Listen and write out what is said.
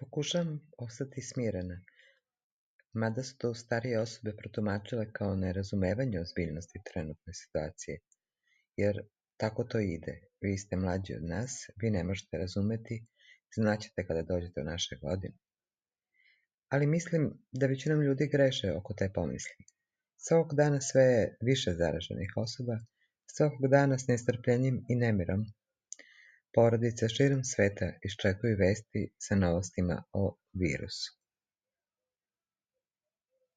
Pokušavam ostati smirena, mada su to starije osobe protumačile kao nerazumevanje ozbiljnosti trenutne situacije, jer tako to ide. Vi ste mlađi od nas, vi ne možete razumeti, znaćete kada dođete u naše godine. Ali mislim da većinom ljudi greše oko te pomisli. Svakog dana sve je više zaraženih osoba, svakog dana s nestrpljenjem i nemirom porodice širom sveta iščekuju vesti sa novostima o virusu.